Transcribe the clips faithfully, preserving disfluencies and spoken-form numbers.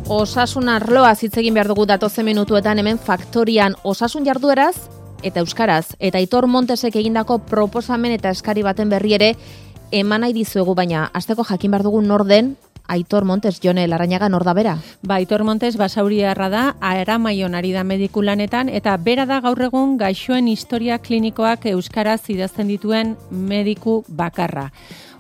Osasun arloaz hitz egin behar dugu datozen minutuetan hemen Faktorian osasun jardueraz eta euskaraz. Eta Aitor Montesek egindako proposamen eta eskari baten berri ere eman nahi dizuegu, baina hasteko jakin behar dugu nor den Aitor Montes. Jone Larrañaga, nor da bera? Ba, Aitor Montes basauriarra da, Aramaion ari da mediku lanetan, eta bera da gaur egun gaixoen historia klinikoak euskaraz idazten dituen mediku bakarra.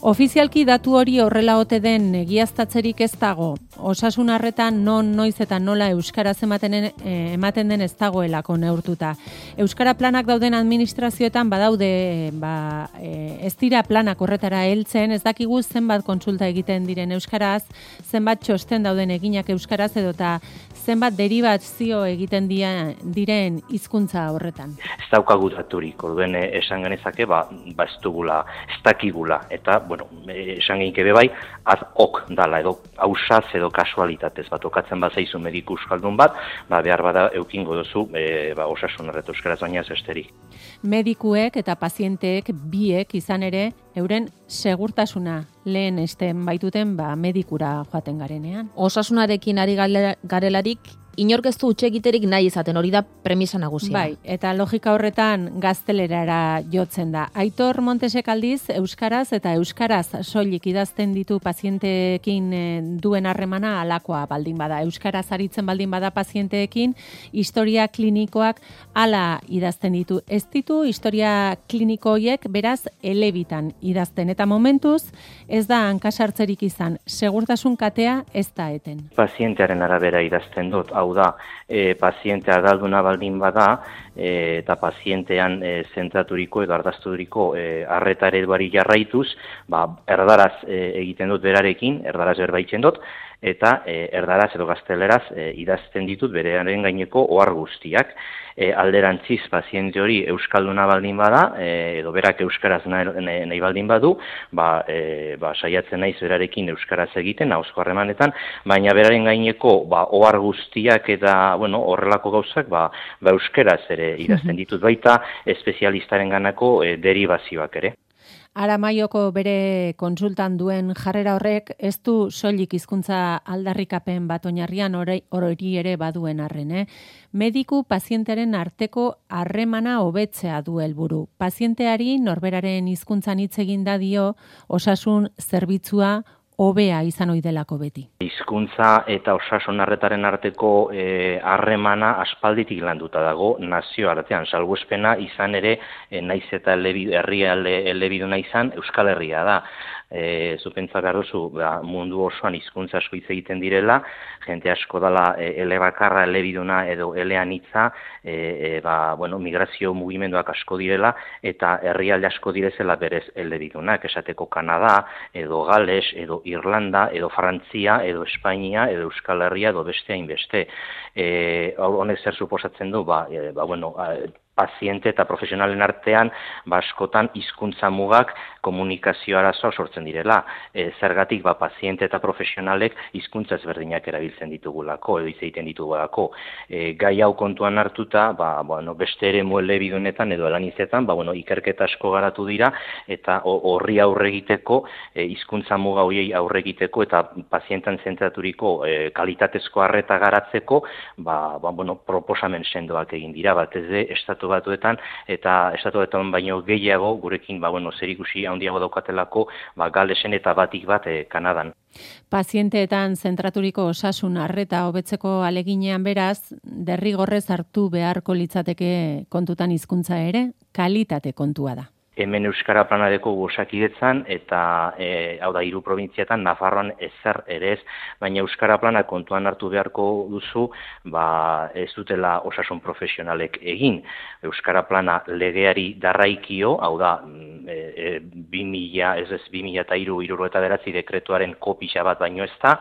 Ofizialki datu hori horrela ote den egiaztatzerik ez dago. Osasun arretan non, noiz eta nola euskaraz ematen, eh, ematen den ez dagoelako neurtuta. Euskara planak dauden administrazioetan badaude, ba, eh, ez dira planak horretara heltzen, ez dakigu zenbat kontsulta egiten diren euskaraz, zenbat txosten dauden eginak euskaraz edota zenbat deribazio egiten dia, diren hizkuntza horretan. Ez daukagu daturik, orduen esan genezake, ba, ba ez dugula, ez dakigula, eta, bueno, esan genike bebai, ad ok dala, edo hausaz edo kasualitatez, bat okatzen bat zaizu mediku euskaldun bat, ba, behar bada eukingo duzu, e, ba, osasun erretu euskaraz baina ez esterik. Medikuek eta pazienteek biek izan ere, euren segurtasuna lehen esten baituten ba, medikura joaten garenean. Osasunarekin ari garelarik, inork ez du utxe egiterik nahi izaten, hori da premisa nagusia. Bai, eta logika horretan gaztelerara jotzen da. Aitor Montesek aldiz, euskaraz eta euskaraz soilik idazten ditu pazienteekin duen harremana alakoa baldin bada. Euskaraz aritzen baldin bada pazienteekin, historia klinikoak ala idazten ditu. Ez ditu historia kliniko horiek beraz elebitan idazten. Eta momentuz, ez da hankasartzerik izan, segurtasun katea ez da eten. Pazientearen arabera idazten dut, hau da, e, pazientea ardalduna baldin bada, e, eta pazientean e, zentraturiko edo ardazturiko e, arreta ereduari jarraituz, ba, erdaraz e, egiten dut berarekin, erdaraz berbaitzen dut, eta e, erdaraz edo gazteleraz e, idazten ditut berearen gaineko ohar guztiak. E, alderantziz paziente hori euskalduna baldin bada, e, edo berak euskaraz nahi, nahi baldin badu, ba, e, ba, saiatzen naiz berarekin euskaraz egiten, ahozko harremanetan, baina beraren gaineko ba, ohar guztiak eta bueno, horrelako gauzak ba, ba, euskaraz ere idazten ditut baita, espezialistaren ganako e, deribazioak ere. Aramaioko bere kontsultan duen jarrera horrek ez du soilik hizkuntza aldarrikapen bat oinarrian hori ere baduen arren, eh? Mediku pazientearen arteko harremana hobetzea du helburu. Pazienteari norberaren hizkuntzan hitz egin da dio osasun zerbitzua hobea izan ohi delako beti. Hizkuntza eta osasun arretaren arteko harremana e, aspalditik landuta dago nazioartean, salbuespena izan ere e, naiz eta herrialde elebiduna izan Euskal Herria da. E, Zupentza behar duzu, ba, mundu osoan hizkuntza asko hitz egiten direla, jente asko dela e, elebakarra, elebiduna edo eleanitza, e, e, ba, bueno, migrazio mugimenduak asko direla, eta herrialde asko direzela berez elebidunak, esateko Kanada, edo Gales, edo Irlanda, edo Frantzia, edo Espainia, edo Euskal Herria, edo beste hainbeste. E, honek zer suposatzen du, ba, e, ba bueno, paziente eta profesionalen artean ba, askotan hizkuntza mugak komunikazio arazoa sortzen direla. E, zergatik ba, paziente eta profesionalek hizkuntza ezberdinak erabiltzen ditugulako, edo hitz egiten ditugulako. E, gai hau kontuan hartuta, ba, bueno, beste ere muelebidunetan edo elanizetan, ba, bueno, ikerketa asko garatu dira, eta horri aurre egiteko, e, hizkuntza muga horiei aurre egiteko, eta pazientan zentraturiko e, kalitatezko arreta garatzeko, ba, ba, bueno, proposamen sendoak egin dira, batez ere estatu batuetan, eta estatu batuetan baino gehiago, gurekin ba, bueno, zerikusi handiago daukatelako ba, Galesen eta batik bat e, Kanadan. Pazienteetan zentraturiko osasun arreta hobetzeko aleginean beraz, derrigorrez hartu beharko litzateke kontutan hizkuntza ere, kalitate kontua da. Hemen Euskara planareko Osakidetzan eta e, hau da hiru probintziatan Nafarroan ezer ere ez, baina Euskara plana kontuan hartu beharko duzu, ba ez dutela osasun profesionalek egin. Euskara plana legeari darraikio, hau da e, e, bi mila, ez ez bi mila eta hiru hirurogeita bederatzi dekretuaren kopia bat baino ez da.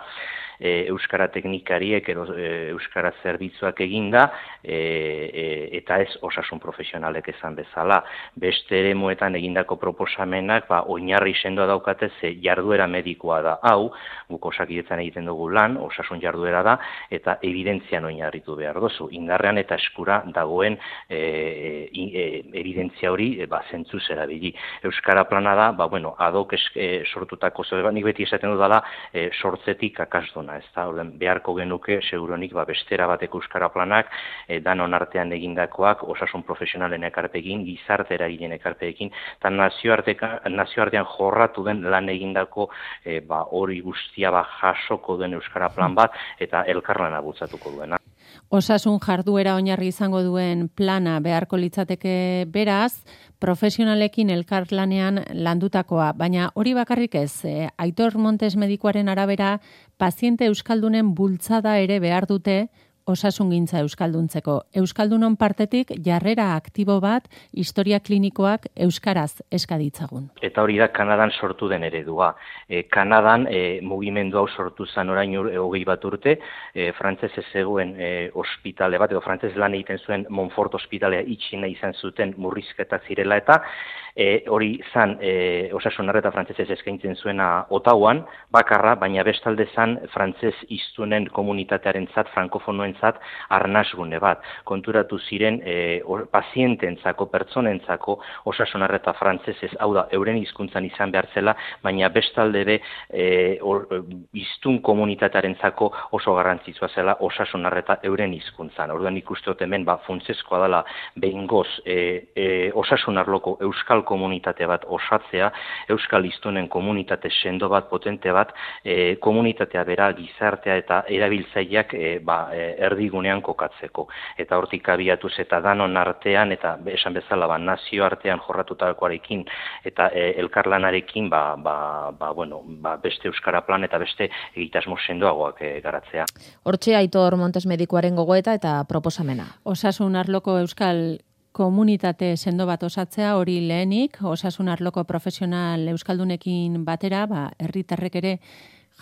E, Euskara teknikariek edo e, Euskara zerbitzuak eginda e, e, eta ez osasun profesionalek esan bezala. Beste eremuetan egindako proposamenak ba, oinarri sendoa daukate ze jarduera medikoa da. Hau, guk Osakidetzan egiten dugu lan, osasun jarduera da, eta evidentzian oinarritu behar dozu. Indarrean eta eskura dagoen e, e, evidentzia hori e, ba, zentzuz erabili. Euskara plana da, ba, bueno, adok esk, e, sortutako, nik beti esaten dudala, e, sortzetik akasdon duguna, ez da, orden beharko genuke, seguronik, ba, bestera bateko euskara planak, e, danon artean egindakoak, osasun profesionalen ekarpekin, gizarte eragileen ekarpekin, eta nazioartean jorratu den lan egindako e, ba, hori guztia ba, jasoko duen euskara plan bat, eta elkarlana bultzatuko duena. Osasun jarduera oinarri izango duen plana beharko litzateke beraz, profesionalekin elkarlanean landutakoa, baina hori bakarrik ez, eh, Aitor Montes medikuaren arabera, paziente euskaldunen bultzada ere behar dute osasungintza euskalduntzeko. Euskaldunon partetik jarrera aktibo bat historia klinikoak euskaraz eskaditzagun. Eta hori da Kanadan sortu den eredua. E, Kanadan e, mugimendu hau sortu zen orain ur, e, hogei bat urte, e, frantzez ez zegoen e, ospitale bat, edo frantzez lan egiten zuen Montfort ospitalea itxi nahi izan zuten murrizketa zirela eta E, hori zan e, osasun arreta frantzesez eskaintzen zuena Ottawan, bakarra, baina bestalde zan frantzez hiztunen komunitatearen zat, frankofonoen zat, arnasgune bat. Konturatu ziren e, or, paziententzako, pertsonentzako osasun arreta frantzesez, hau da, euren hizkuntzan izan behar zela, baina bestalde be e, or, hiztun komunitatearen zako oso garrantzitsua zela osasun arreta euren hizkuntzan. Orduan ikustot hemen, ba, funtsezkoa dela behingoz e, e, osasun arloko euskal komunitate bat osatzea, euskal hiztunen komunitate sendo bat, potente bat, e, komunitatea bera, gizartea eta erabiltzaileak e, ba, e, erdigunean kokatzeko. Eta hortik abiatuz eta danon artean, eta esan bezala ba, nazio artean jorratutakoarekin eta e, elkarlanarekin ba, ba, ba, bueno, ba, beste euskara plan eta beste egitasmo sendoagoak e, garatzea. Hortxe Aitor Montes medikuaren gogoeta eta proposamena. Osasun arloko euskal komunitate sendo bat osatzea hori lehenik, osasun arloko profesional euskaldunekin batera, ba, herritarrek ere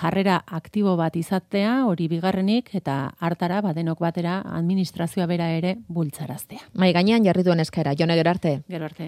jarrera aktibo bat izatea, hori bigarrenik, eta hartara, ba, denok batera, administrazioa bera ere bultzaraztea. Mai gainean jarri duen eskaera, Jone, gero arte. Gero arte.